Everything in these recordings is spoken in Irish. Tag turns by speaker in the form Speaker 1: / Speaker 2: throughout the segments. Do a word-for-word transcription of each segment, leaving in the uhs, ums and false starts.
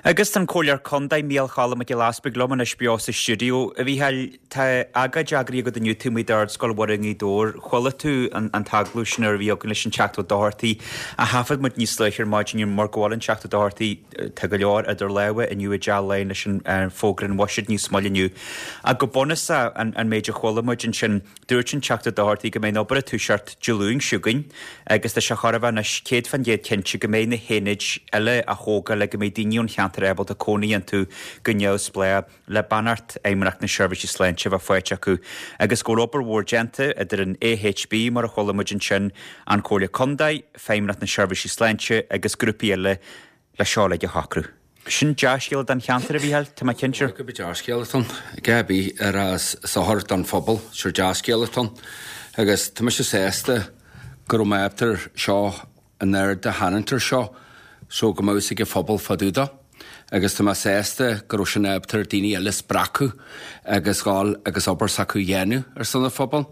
Speaker 1: Agus an Comhairleoir Contae Mícheál Choilm Mac Giolla Easbuig liom anois beo sa stiúideo. A Mhícheáil, tá agóid eagraithe agat inniu taobh amuigh d'Ardscoil Mhuire i nGaoth Dobhair. Chuala tú an, an t-agallamh sin a bhí againn leis an Teachta Ó Dochartaigh a thaifead muid níos luaithe ar maidin mar go bhfuil an Teachta Ó Dochartaigh tá go leor idir lámha inniu i dTeach Laighean leis an uh, fógra an bhuiséid níos moille inniu. Ach go bunúsach an, an méid a chuala muid ansin dúirt an Teachta Ó Dochartaigh go mbeidh an obair ag toiseacht Dé Luain seo chugainn agus tá sé chor a bheith anois céad faoin gcéad cinnte go mbeidh na haonaid eile á dtógáil le go mbeidh daoine ón cheantar ábalta cónaí iontu go neamhspleách le beannacht Fheidhmeannacht na Seirbhísí Sláinte bheith faighte acu agus go bhfuil obair mhór déanta idir an AHB mar a chuala muid ansin an Comhairle Contae, Feidhmeannacht na Seirbhísí Sláinte agus grúpaí eile le seo le shocrú. Sin dea-scéala don cheantar a Mhícheáil Tá mé cinnte.
Speaker 2: Go dea-scéal atá ann Gabi ar sochar don phobal sure dea-scéal atá ann agus tá mise sásta go raibh mé ábalta seo an aird a tharraingt air seo so go mbeadh ag an phobal fá dtaobh de. agus tá mé sásta go raibh sin ábalta daoine eile spreagadh agus gáil agus obair s'acu dhéanamh ar son an phobal.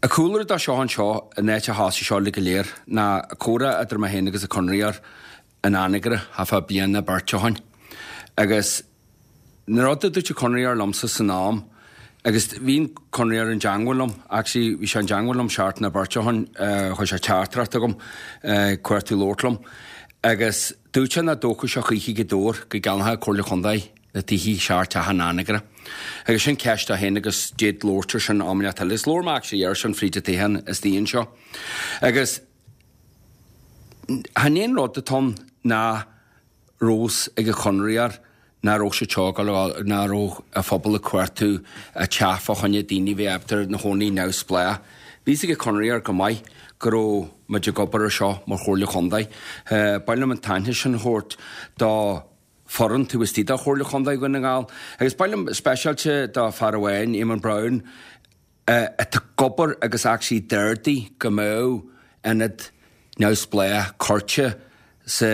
Speaker 2: A cúlra dá seo anseo in áit a thosaigh seo le go léir ná comhrá idir mé féin agus an conraitheoir in Anagaire thart fá bliain nó beirt ó shin. Agus na rud a dúirt an conraitheoir liomsa san am, agus bhí an conraitheoir i dteagmháil liom, actually bhí sé i dteagmháil liom seachtain nó beirt ó shin chuir sé teachtaireacht chugam cuartú labhairt liom. Agus dúirt sé nach dtógfadh sé choíche Gaoth Dobhair go gceannódh Comhairle Contae na tithe seacht teach in Anagaire. Agus sin ceist a féin agus déad labhairt air sin am inteacht eile. Is labhair mé actually air sin fríd an teach is daon seo. Agus chan aon rud atá ann ná rós ag an chonraitheoir ná raibh sé teágáil ná raibh a phobal ag cuartú a teach fá choinne daoine bheith ábalta ina gcónaí neamhspleách. Bhí ag an conraitheoir go maith go raibh muid ag obair ar seo mar Chomhairle Chontae. Ba mhaith liom an t-aithne sin a thabhairt do foireann taobh istigh de Chomhairle Chontae Dhún na nGall. Agus ba mhaith liom speisialta do fear amháin Eamon Brown atá ag obair agus actually d'ordaigh go mbeadh ionad neamhspleách curtha sa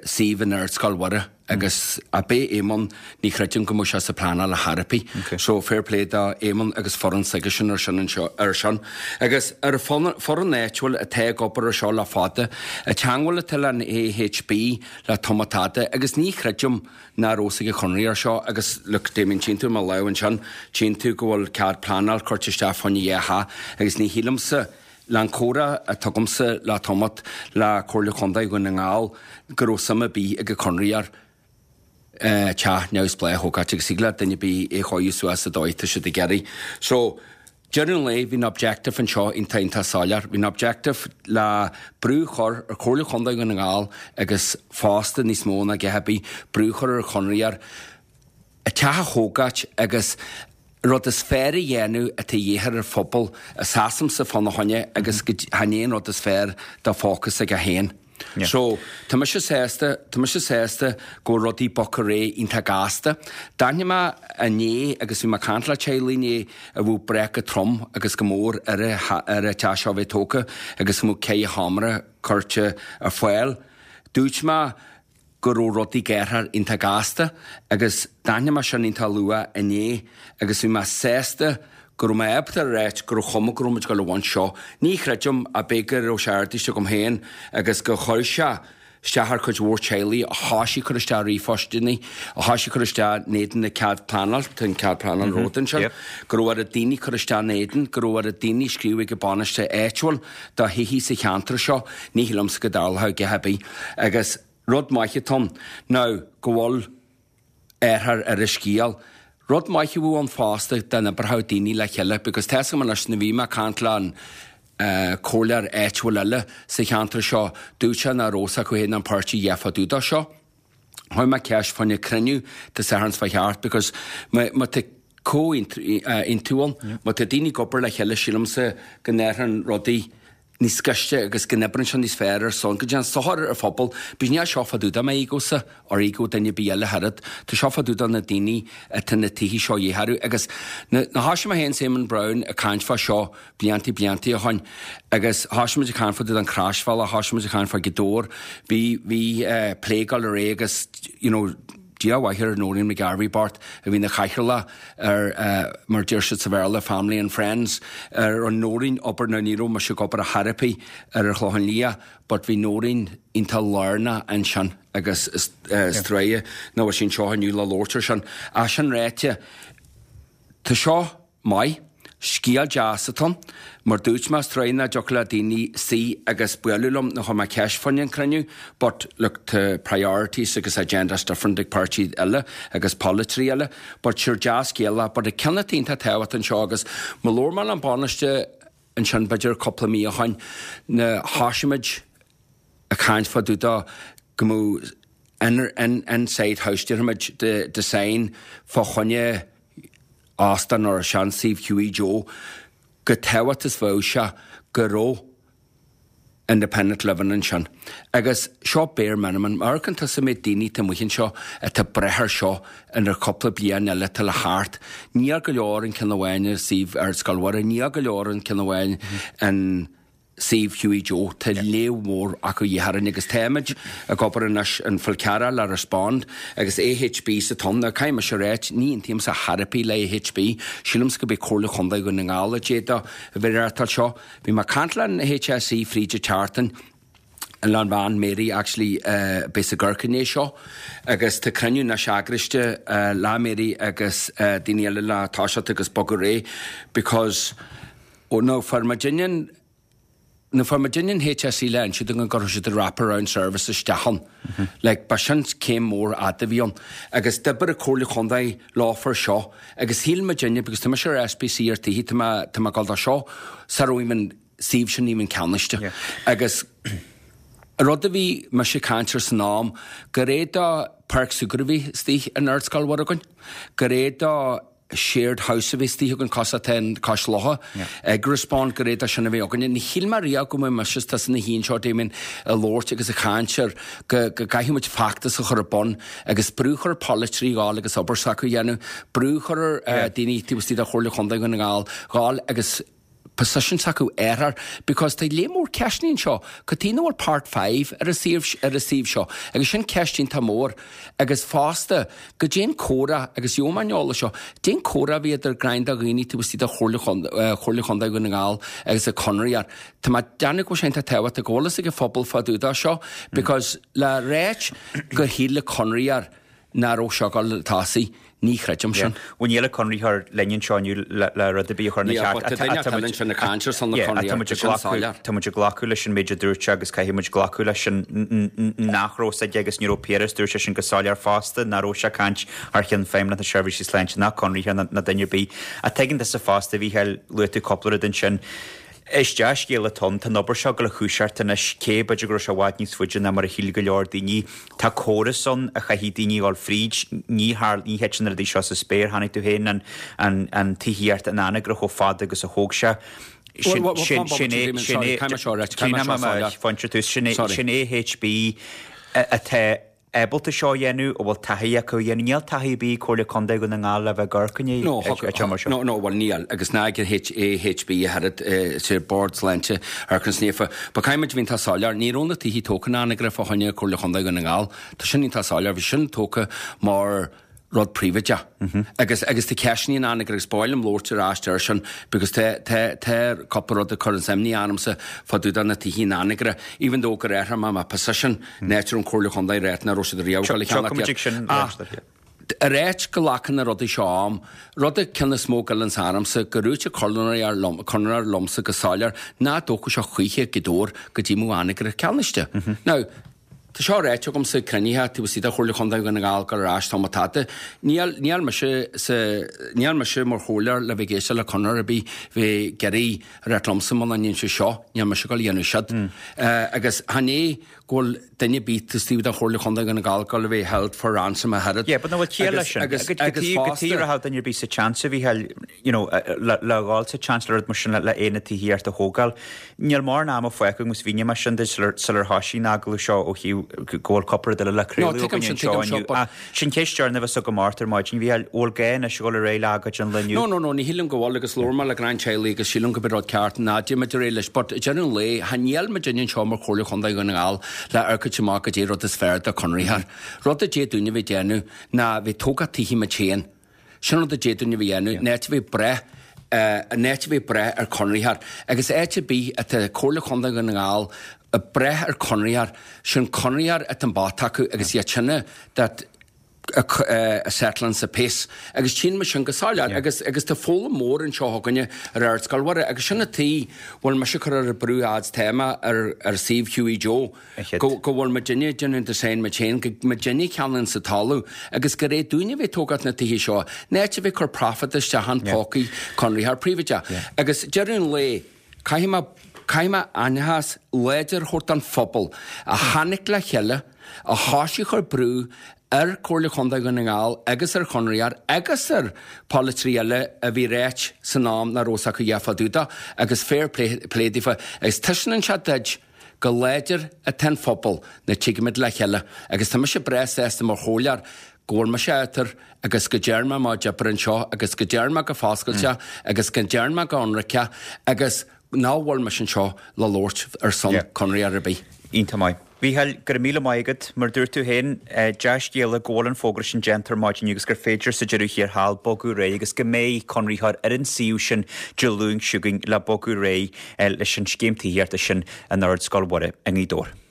Speaker 2: suíomh in Ardscoil Mhuire agus a bé Eamon ní chreidim go mbeadh sé sa pleanáil ar chor ar bith.
Speaker 1: Okay.
Speaker 2: So fair play do Eamon agus foireann s'aige sin ar sin anseo ar sin. Agus ar a foireann áitiúil atá ag obair ar seo le fada, a teagmháil atá le an AHB le tamall fada agus ní chreidim ná raibh ag an chonraitheoir seo agus look Damien tchíonn tú mo lámh ansin tchíonn tú go bhfuil cead pleanáil curtha isteach fá choinne dhá theach agus ní shílimse le an comhrá atá agamsa le tamall le Comhairle Chontae Dhún na nGall go raibh suim ar bith ag an chonraitheoir teach neamhspleách a thógáil agus thig le duine ar bith é chóiriú suas sa dóigh tá siad ag iarraidh. So deireadh an lae bhí an objective anseo iontach iontach soiléir. Bhí an objective le brú a chur ar Chomhairle Chontae Dhún na nGall agus fosta níos mó ná a dhath ar bith brú a chur ar chonraitheoir a teach a thógáil agus rud is fearr a dhéanamh atá dhíth ar phobal a seasamsa fána choinne agus go chan aon rud is fearr dá focus ag a haon.
Speaker 1: Yeah.
Speaker 2: So tá mise sásta tá mise sásta go bhfuil rudaí bogtha ar aghaidh iontach gasta. D'aithin mé inné agus bhí mé ag caint le teaghlaigh inné a bhfuil breith go trom agus go mór ar a ar a teach seo bheith tógtha agus go mbeadh ceithre sheomra curtha ar fáil. Dúirt mé go raibh rudaí géartha iontach gasta agus d'aithin mé sin iontach luath inné agus bhí mé sásta go raibh mé ábalta a ráit go raibh chuma go raibh muid ag dul a bhaint seo. Ní chreidim a b'fhéidir go raibh sé ardaiste agam féin agus go chuir sé isteach ar chuid mhór teaghlaigh a thoisigh cur isteach ríomhphostanna, a thoisigh cur isteach in éadan na cead pleanáil, tá an cead pleanáil romhat ansin,
Speaker 1: Yep.
Speaker 2: go raibh ar daoine cur isteach in éadan, go raibh ar daoine scríobh ag an bainisteoir áitiúil do thithe sa cheantar seo, ní shílimse go dtarlódh a dhath ar bith. Agus rud maith atá ann now go bhfuil airthear ar an scéal. Rud maith a bhú an fosta den oibreoidh daoine le chéile, because tá leis na bhí mé ag caint le an uh, comhairleoir áitiúil eile sa cheantar seo dúirt sé nach raibh acu féin an páirtí dhefa dúdá seo. Chuir mé ceist fá choinne cruinniú Dé Sathairn fá cheart because má má tá comhaontú ann, má tá daoine ag obair le chéile sílimse go n-éireann rudaí níos gaiste agus go n-oibreann sé níos fearr ar son go dtéann sochar ar phobal, Bís ní seo fá dtaobh de m'ego-sa ar ego duine ar bith eile thart, Tá seo fá dtaobh de na daoine atá na tithe seo dhétharú agus na thoisigh mé féin Simon Brown ag caint fá seo blianta blianta ó shin agus thoisigh muid ag caint fá dtaobh den Croisbhealach, thoisigh muid ag caint fá Gaoth Dobhair, bhí bhí uh, plé ag dul ar aghaidh agus you know, Dia a mhaith ar Noreen McGarvey bocht a bhí ina chathaoirleach ar mar deir siad sa Bhéarla family and friends ar an Noreen obair na ní raibh mise ag obair a therapy ar ar Chlochán Liath but bhí Noreen iontach lárnach ansin agus is trua nach bhfuil sí anseo inniu le labhairt ar sin. Ach sin ráite tá seo maith. Scéal deas atá ann. Mar dúirt mé is trua nach dtiocfadh le daoine suí agus bualadh liom nó chuir mé ceist fá choinne an cruinniú but look tá priorities agus agendas different ag páirtí eile agus polaiteoirí eile but sure dea-scéal é but an ceann atá iontach tábhachtach anseo agus má labhair mé le an Tánaiste ansin b'fhéidir cúpla mí ó shoin na thosaigh muid ag caint fá dtaobh de go mbeadh in inside house déarfaimid de design fá choinne óstán ar seansuíomh Hughie Joe go tábhacht is bheadh sé go raibh independent living ansin. Agus seo bare minimum, mar amharcann tusa méid daoine atá amuigh anseo atá ag brath air seo inar cúpla bliain eile atá le theacht. Níl go leor an ceann amháin i suíomh Ardscoil Mhuire, níl go leor an ceann amháin in suíomh Hughie Joe, tá léamh mór acu a dhíth orainn agus táimid ag obair anois an Fol Cearra le Respond agus AHB sa tonn. Now caithfidh mise a ráit, ní aontaímse chor ar bith le AHB, sílimse go b'é Comhairle Chontae Dhún na nGall a d'fhéadfadh a bheith ag reáchtáil seo. Bhí mé ag caint le an HSE fríd an tseachtain, le an bhean Mary actually beidh sa gCorc inné seo agus tá cruinniú anois eagraiste le Mary agus daoine eile le toiseacht agus bogadh ar aghaidh because ó nó fuair muidinne an Nó fuair muidinne an HSE le inse dúinn go gcuirfeadh siad an wrap-around service isteach ann. Like, ba sin céim mór fhada a bhí ann. Agus d'oibir an Comhairle Chontae leofa seo agus shíl muidinne, because tá mise ar SPC ar tithe, tá mé, tá mé ag dul do seo, sara raibh an suíomh sin even ceannaiste. Agus rud a bhí mise ag caint air san am, go raibh do páirc súgartha a bhí istigh in Ardscoil Mhuire againn, go raibh do shared house a bhí istigh againn cosúil atá in Cois Locha ag Respond go raibh sin a bheith againne. Ní shíl mé riamh go mbeadh mise is tusa ina shuí anseo Damien ag labhairt agus ag caint ar go go gcaithfidh muid feachtas a chur ar bun agus brú a chur ar pholaiteoirí dhul agus obair s'acu a dhéanamh, brú a chur ar daoine taobh istigh de Chomhairle Chontae Dhún na nGall dhul agus position s'acu airthear because tá léar mór ceisteanna anseo, cad chuige nach bhfuil part five ar an suíomh ar an suíomh seo agus sin ceist iontach mór agus fosta goidé an comhrá agus gheobhaidh mé an eolas seo, goidé an comhrá a bhí idir greim de dhaoine taobh istigh de Chomhairle Chomhairle Chontae Dhún na nGall agus ag Conradh Tá mé ag déanamh go bhfuil sé iontach tábhachtach go bhfuil fhios ag an phobal fá dtaobh de seo because le ráit gur shíl Conradh nach raibh seo ag dul tosaigh, ní chreidim sin.
Speaker 1: Bhuel níl an Conraitheoir linn anseo inniu le rud ar bith a chur ina cheart.
Speaker 2: Tá duine eile ansin ag caint ar son na Conraitheoir, tá sin soiléir.
Speaker 1: Tá muid ag glacadh leis an méid a dúirt sé agus caithfidh muid glacadh leis sin nach raibh fhios aige agus ní raibh Piaras, dúirt sé sin go soiléir fosta, nach raibh sé ag caint thar cheann Feidhmeannacht na Seirbhíse Sláinte ná Conraitheoir ná duine ar bith. Ach tuigeann tusa fosta, a Mhícheáil, luaigh tú cúpla rud ansin. Is dea-scéal atá ann. Tá an obair seo ag dul a thoiseacht anois, cé b'fhéidir go raibh sé i bhfad níos faide ná mar a shíl go leor daoine. Tá córas ann a chaithfidh daoine a dhul fríd. Ní thar, ní thiteann na rudaí seo sa spéir. Chonaic tú féin an, an, an tithíocht in Anagaire chomh fada agus a thóg sé. Sin, sin, sin é, sin é, sin é, sin AHB atá ábalta seo a dhéanamh, a bhfuil taithí acu a dhéanamh. Níl taithí ar bith ag Comhairle Contae Dhún na nGall le bheith ag amharc i ndiaidh an mar seo.
Speaker 2: No, no, bhuel níl, agus ná ag AHB a oiread, is é Bord Sláinte Amharclann Naofa. But caithfidh muid a bheith iontach soiléir, ní raibh na tithe tógtha in Anagaire fá choinne Comhairle Chontae Dhún na nGall. Tá sin iontach soiléir, bhí sin tógtha mar rud príobháideach. Agus, agus tá ceisteanna in Anagaire agus ba mhaith liom labhairt ar ais air sin because tá, tá, tá cúpla rud ag cur an imní ormsa fá dtaobh de na tithe in Anagaire, even though gur athraigh mé mo position, áit a raibh an Comhairle Chontae ráite nach raibh siad riamh ag dul a cheannacht
Speaker 1: Tiocfaidh muid ag sin
Speaker 2: Ach a ráit go nglacann na rudaí seo am, rud a ceann is mó a ghoilleanns ormsa, go dúirt an conraitheoir liom, conraitheoir liomsa go soiléir nach dtógfadh sé choíche Gaoth Dobhair go dtí mbeadh Anagaire ceannaiste. Now, Tá seo ráite agamsa ag cruinnithe taobh istigh de Chomhairle Chontae Dhún na nGall gur ar ais tá mo tada. Níl, níl mise sa, níl mise mar chomhairleoir le bheith ag éisteacht le conraitheoir ar bith bheith ag iarraidh a ráit liomsa muna ndéan sé seo, níl mise ag dul a dhéanamh siúd. Agus chan é go bhfuil duine ar bith taobh istigh de Chomhairle Chontae Dhún na nGall ag dul a bheith held for ransom a oiread.
Speaker 1: Yeah, but nach bhfuil ciall leis sin.
Speaker 2: Agus,
Speaker 1: Go
Speaker 2: agus
Speaker 1: dtí, go
Speaker 2: fosta.
Speaker 1: dtí rachadh duine ar bith sa tseans a Mhícheáil, you know, le, le dhul sa tseans le rud mar sin le, le aonad tithíochta a thógáil. Níl mórán ama fágtha agus mhínigh mé sin duit sular thosaigh an agallamh seo ó thaobh go bhfuil cúpla rud eile le
Speaker 2: No,
Speaker 1: craoladh
Speaker 2: tuigim
Speaker 1: againn
Speaker 2: sin,
Speaker 1: anseo
Speaker 2: tuigim seo,
Speaker 1: inniu.
Speaker 2: but
Speaker 1: Ach sin ceist deireanach a bheas agam ort ar maidin, Mhícheáil, bhfuil gá anois a dhul ar aghaidh le agóid an lae inniu?
Speaker 2: No, no, no, ní shílim go bhfuil agus labhair mé le greann teaghlaigh agus sílim go b'é rud ceart ná déanfaimid ar aghaidh leis but ag deireadh an lae, cha níl muidinne anseo mar Chomhairle Chontae Dhún na nGall le amharc amach goidé rud is fearr do chonraitheoir. Rud a d'fhéadfadh dúinne bheith déanamh ná bheith tógáil tithe muid féin. Sin rud a d'fhéadfadh dúinne bheith dhéanamh, in áit a bheith breith in áit a bheith breith ar chonraitheoir. Agus áit ar bith atá Comhairle Chontae Dhún na nGall ag breith ar chonraitheoir, sin conraitheoir atá an bat acu agus iad sinne that a settling the peace. Agus tchíonn muid sin go soiléir agus agus tá foghlaim mór anseo againne ar Ardscoil Mhuire agus sin an tuige bhfuil mise ag cur ar an brú fhad téama ar ar suíomh Hughie Joe go go bhfuil muidinne ag déanamh design muid féin go muidinne a cheannaíonn sa talamh agus gur é dúinne a bheith tógáil na tithe seo in áit a bheith cur profit isteach in pócaí conraitheoir príobháideach. Agus deireadh an lae caithfidh mé caithfidh mé aitheantas láidir a thabhairt don phobal a tháinig le chéile a thoisigh ag cur brú ar Chomhairle Chontae Dhún na nGall agus ar chonraitheoir agus ar pholaiteoirí eile a bhí ráite san am nach raibh fhios acu a dhath fá dtaobh de agus fair play play daofa agus taispeánann sé duit go láidir atá an phobal nuair a tigimid le chéile agus tá mise breá sásta mar chomhairleoir go bhfuil mise átar agus go dtearn mé mo chuid oibre anseo agus go dtearn mé go foscailte agus go dtearn mé go ionraice agus ná bhfuil mise anseo le labhairt ar son conraitheoir ar bith.
Speaker 1: Iontach maith. Mhícheáil, go raibh míle maith agat. Mar dúirt tú féin, dea-scéala go bhfuil an fógra sin déanta ar maidin agus gur féidir sa deireadh thiar thall bogadh ar aghaidh agus go mbeidh conraitheoir ar an suíomh sin Dé Luain seo chugainn le bogadh ar aghaidh leis an scéim tithíochta sin in Ardscoil Mhuire i nGaoth Dobhair.